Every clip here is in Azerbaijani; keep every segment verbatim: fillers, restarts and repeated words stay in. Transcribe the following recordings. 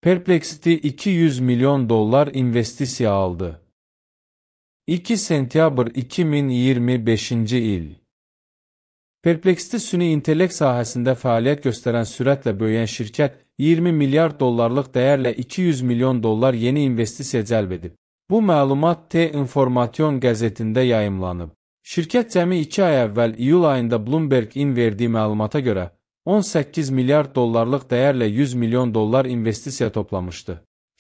Perplexity iki yüz milyon dollar investisiya aldı. iki sentyabr iki min iyirmi beşinci il. Perplexity süni intellekt sahəsində fəaliyyət göstərən sürətlə böyüyən şirkət iyirmi milyard dollarlıq dəyərlə iki yüz milyon dollar yeni investisiya cəlb edib. Bu məlumat T-Information qəzetində yayımlanıb. Şirkət cəmi iki ay əvvəl iyul ayında Bloomberg-in verdiyi məlumata görə on səkkiz milyard dollarlıq dəyərlə yüz milyon dollar investisiya toplamışdı.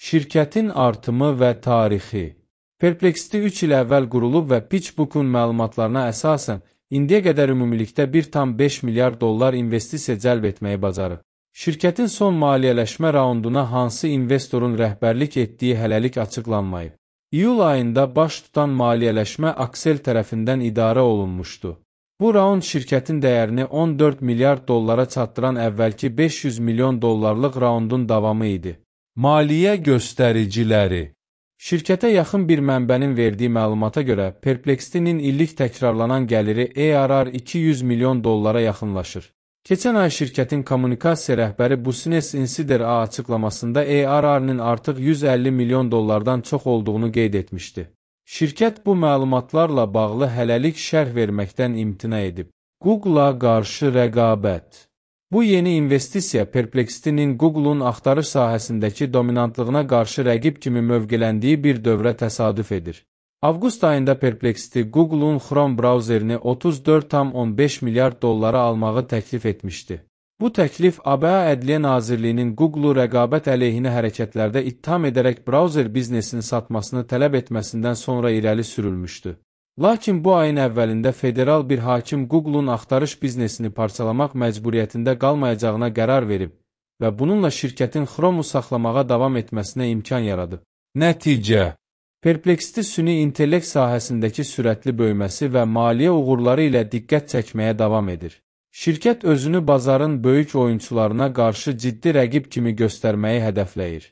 Şirkətin artımı və tarixi. Perplexity üç il əvvəl qurulub və PitchBook-un məlumatlarına əsasən indiyə qədər ümumilikdə bir tam beş milyard dollar investisiya cəlb etməyi bacarıb. Şirkətin son maliyyələşmə raunduna hansı investorun rəhbərlik etdiyi hələlik açıqlanmayıb. İyul ayında baş tutan maliyyələşmə Accel tərəfindən idarə olunmuşdu. Bu raund şirkətin dəyərini on dörd milyard dollara çatdıran əvvəlki beş yüz milyon dollarlıq raundun davamı idi. Maliyyə göstəriciləri. Şirkətə yaxın bir mənbənin verdiyi məlumata görə Perplexity-nin illik təkrarlanan gəliri A R R iki yüz milyon dollara yaxınlaşır. Keçən ay şirkətin kommunikasiya rəhbəri Business Insider-a açıqlamasında A R R-nin artıq yüz əlli milyon dollardan çox olduğunu qeyd etmişdi. Şirkət bu məlumatlarla bağlı hələlik şərh verməkdən imtina edib. Google-a qarşı rəqabət. Bu yeni investisiya Perplexity-nin Google-un axtarış sahəsindəki dominantlığına qarşı rəqib kimi mövqeləndiyi bir dövrə təsadüf edir. Avqust ayında Perplexity Google-un Chrome brauzerini otuz dörd tam on beş milyard dollara almağı təklif etmişdi. Bu təklif A B A Ədliyyə Nazirliyinin Google-u rəqabət əleyhinə hərəkətlərdə ittiham edərək brauzer biznesini satmasını tələb etməsindən sonra irəli sürülmüşdü. Lakin bu ayın əvvəlində federal bir hakim Google-un axtarış biznesini parçalamaq məcburiyyətində qalmayacağına qərar verib və bununla şirkətin Chrome-u saxlamağa davam etməsinə imkan yaradıb. Nəticə. Perplexity süni intellekt sahəsindəki sürətli böyüməsi və maliyyə uğurları ilə diqqət çəkməyə davam edir. Şirkət özünü bazarın böyük oyunçularına qarşı ciddi rəqib kimi göstərməyi hədəfləyir.